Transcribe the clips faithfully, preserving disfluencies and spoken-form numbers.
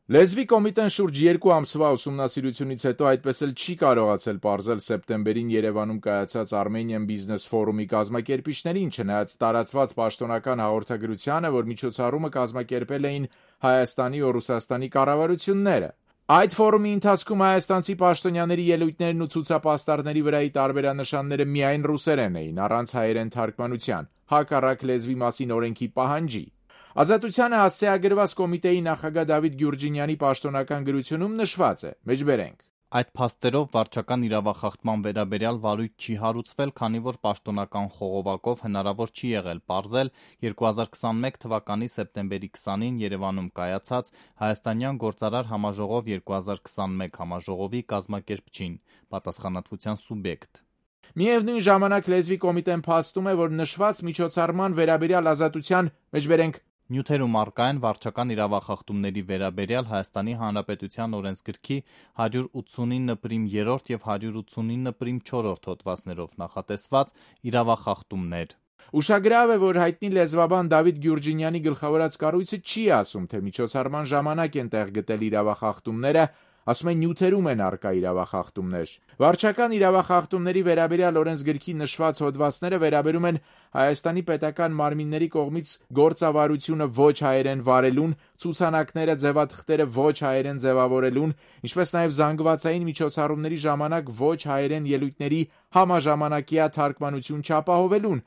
Լեզվի կոմիտեն շուրջ երկու ամսվա ուսումնասիրությունից հետո այդպես էլ չի կարողացել պարզել սեպտեմբերին Երևանում կայացած Armenian Business Forum-ի կազմակերպիչներին, չնայած տարածված պաշտոնական հաղորդագրությանը, որ միջոցառումը կազմակերպել էին Հայաստանի ու Ռուսաստանի կառավարությունները։ Այդ ֆորումի ընթացքում հայաստանցի պաշտոնյաների ելույթներն ու ցուցապաստառների վրայի տարբերանշանները միայն ռուսերեն էին, առանց հայերեն թարգմանության, հակառակ լեզվի մասին օրենքի պահանջի։ Ազատությանը հասցեագրված կոմիտեի նախագահ Դավիթ Գյուրջինյանի պաշտոնական գրությունում նշված է. մեջբերենք. Այդ փաստերով վարչական իրավախախտման վերաբերյալ վարույթ չի հարուցվել, քանի որ պաշտոնական խողովակով հնարավոր չի եղել պարզել երկու հազար քսանմեկ թվականի սեպտեմբերի քսանին Երևանում կայացած Հայաստանյան գործարար համաժողով երկու հազար քսանմեկ համաժողովի կազմակերպչին, պատասխանատվության սուբյեկտ։ Միևնույն ժամանակ լեզվի կոմիտեն փաստում է, որ նշված միջոցառման վերաբերյալ ազատության մեջբերենք նյութերում առկա են վարչական իրավախախտումների վերաբերյալ Հայաստանի Հանրապետության օրենսգրքի հարյուր ութսունինը պրիմ երրորդ և հարյուր ութսունինը պրիմ չորրորդ հոդվածներով նախատեսված իրավախախտումներ։ Ուշագրավ է, որ հայտնի լեզվաբան Դավիթ Գյուրջինյանի գլխավորած կառույցը չի ասում, թե միջոցառման ժամանակ են տեղ գտել իրավախախտումները, ասում է նյութերում են առկա իրավախախտումներ։ Վարչական իրավախախտումների վերաբերյալ օրենսգրքի նշված հոդվածները վերաբերում են Հայաստանի պետական մարմինների կողմից գործավարությունը ոչ հայերեն վարելուն, ցուցանակները, ձևաթղթերը ոչ հայերեն ձևավորելուն, ինչպես նաև զանգվածային միջոցառումների ժամանակ ոչ հայերեն ելույթների համաժամանակյա թարգմանություն չապահովելուն,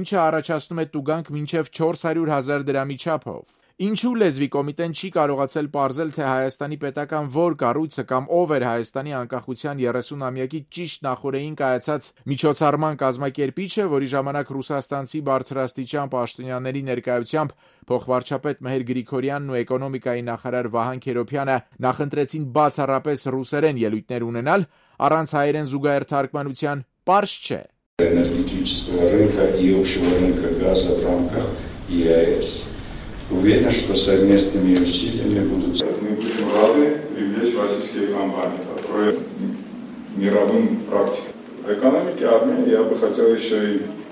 ինչը առաջացնում է տուգանք մինչև չորս հարյուր հազար դրամի չափով։ Ինչու լեզվի կոմիտեն չի կարողացել պարզել, թե Հայաստանի պետական որ կառույցը կամ ով էր Հայաստանի անկախության երեսունամյակի ճիշտ նախօրեին կայացած միջոցառման կազմակերպիչը, որի ժամանակ ռուսաստանցի բարձրաստիճան պաշտոնյաների ներկայությամբ փոխվարչապետ Մեհեր Գրիգորյանն ու էկոնոմիկայի նախարար Վահան Քերոբյանը նախընտրեցին բացառապես ռուսերեն ելույթներ ունենալ, առանց հայերեն զուգահեռ թարգմանության, պարզ չէ։ Энергетического рынка и общего рынка газа в рамках ЕАЭС. Уверен, что совместными усилиями будут... Мы будем рады привлечь российские компании, которые мировым практикам. В экономике Армении я бы хотел еще и...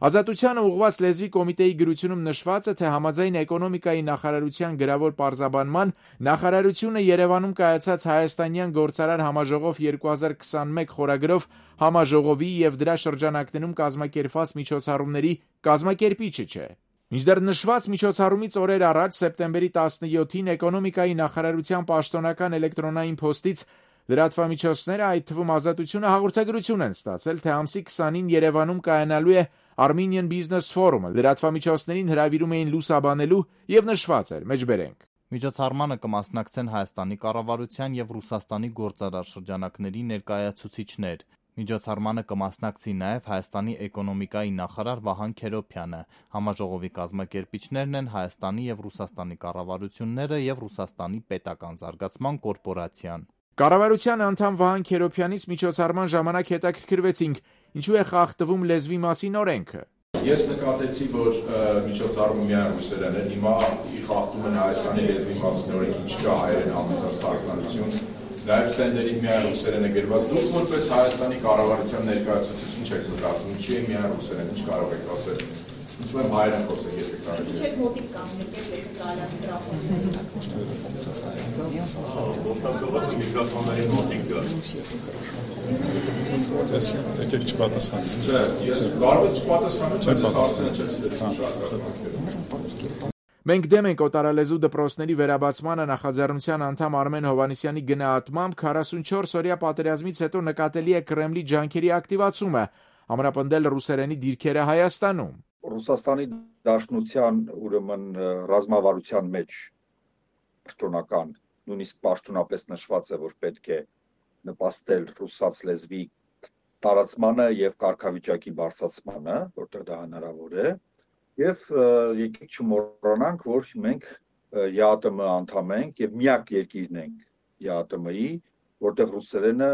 Ազատությանը ուղղված լեզվի կոմիտեի գրությունում նշված է, թե համաձայն էկոնոմիկայի նախարարության գրավոր պարզաբանման նախարարությունը Երևանում կայացած Հայաստանյան գործարար համաժողով երկու հազար քսանմեկ խորագրով համաժողովի և դրա շրջանակներում կազմակերպված միջոցառումների կազմակերպիչը չէ։ Մինչդեռ նշված միջոցառումից օրեր առաջ սեպտեմբերի տասնյոթին էկոնոմիկայի նախարարության պաշտոնական էլեկտրոնային փոստից լրատվամիջոցները, այդ թվում Ազատությունը, հաղորդագրություն են ստացել, թե ամսի քսանին Երևանում կայանալու է Armenian Business Forum-ը, լրատվամիջոցներին հրավիրում էին լուսաբանելու և նշված էր, մեջբերենք. Միջոցառմանը կմասնակցեն Հայաստանի կառավարության և Ռուսաստանի գործարար շրջանակների ներկայացուցիչներ։ Միջոցառմանը կմասնակցի նաև Հայաստանի էկոնոմիկայի նախարար Վահան Քերոբյանը։ Համաժողովի կազմակերպիչներն են Հայաստանի և Ռուսաստանի կառավարությունները և Ռուսաստանի պետական զարգացման կորպորացիան։ Կառավարության անդամ Վահան Քերոբյանից միջոցառման ժամանակ հետաքրքրվեցինք, ինչու է խախտվում լեզվի մասին օրենքը։ Ես նկատեցի, որ միջոցառումը միայն ռուսերեն է, հիմա խախտում են Հայաստանի լեզվի մասին օրենքի, չկա հայերեն համեմատած թարգմանություն, նաև ստենդերին միայն ռուսերեն է գրված։ Դուք որպես Հայաստանի կառավարության ներկայացուցիչ ինչ եք մտածում, ինչի է միայն ռուսերեն, ինչ կարող եք ասել։ Ինչու եմ հայերեն խոսեք, եթե կարելի է։ Ինչ եք մոտիկ կանգնել, եթե կարելի Օգտագործի միկրոֆոնների մոտիկ գա։ Եկեք չպատասխանեք։ Չէ, ես կարող եմ չպատասխանել, բայց հարցերը չեցրեցին շատ։ Մենք դեմ ենք օտարալեզու դպրոցների վերաբացմանը նախաձեռնության անդամ Արմեն Հովհաննիսյանի գնահատմամբ քառասունչորս օրյա պատերազմից հետո նկատելի է Կրեմլի ջանքերի ակտիվացումը, ամրապնդել ռուսերենի դիրքերը Հայաստանում։ Ռուսաստանի Դաշնության ուրեմն ռազմավարության մեջ պաշտոնական, նույնիսկ պաշտոնապես նշված է, որ պետք է նպաստել ռուսաց լեզվի տարածմանը եւ կարգավիճակի բարձրացմանը, որտեղ դա հնարավոր է, եւ եկեք չմոռանանք, որ մենք ԵԱՏՄ անդամ ենք եւ միակ երկիրն ենք ԵԱՏՄ-ի, որտեղ ռուսերենը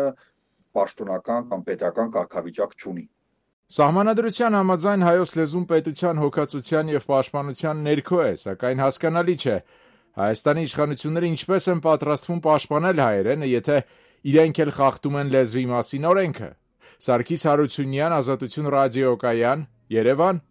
պաշտոնական կամ պետական կարգավիճակ չունի։ Սահմանադրության համաձայն հայոց լեզուն պետության հոգացության և պաշտպանության ներքո է, սակայն հասկանալի չէ Հայաստանի իշխանությունները ինչպես են պատրաստվում պաշտպանել հայերենը, եթե իրենք էլ խախտում են լեզվի մասին օրենքը։ Սարգիս Հարությունյան, Ազատություն ռադիոկայան, Երևան։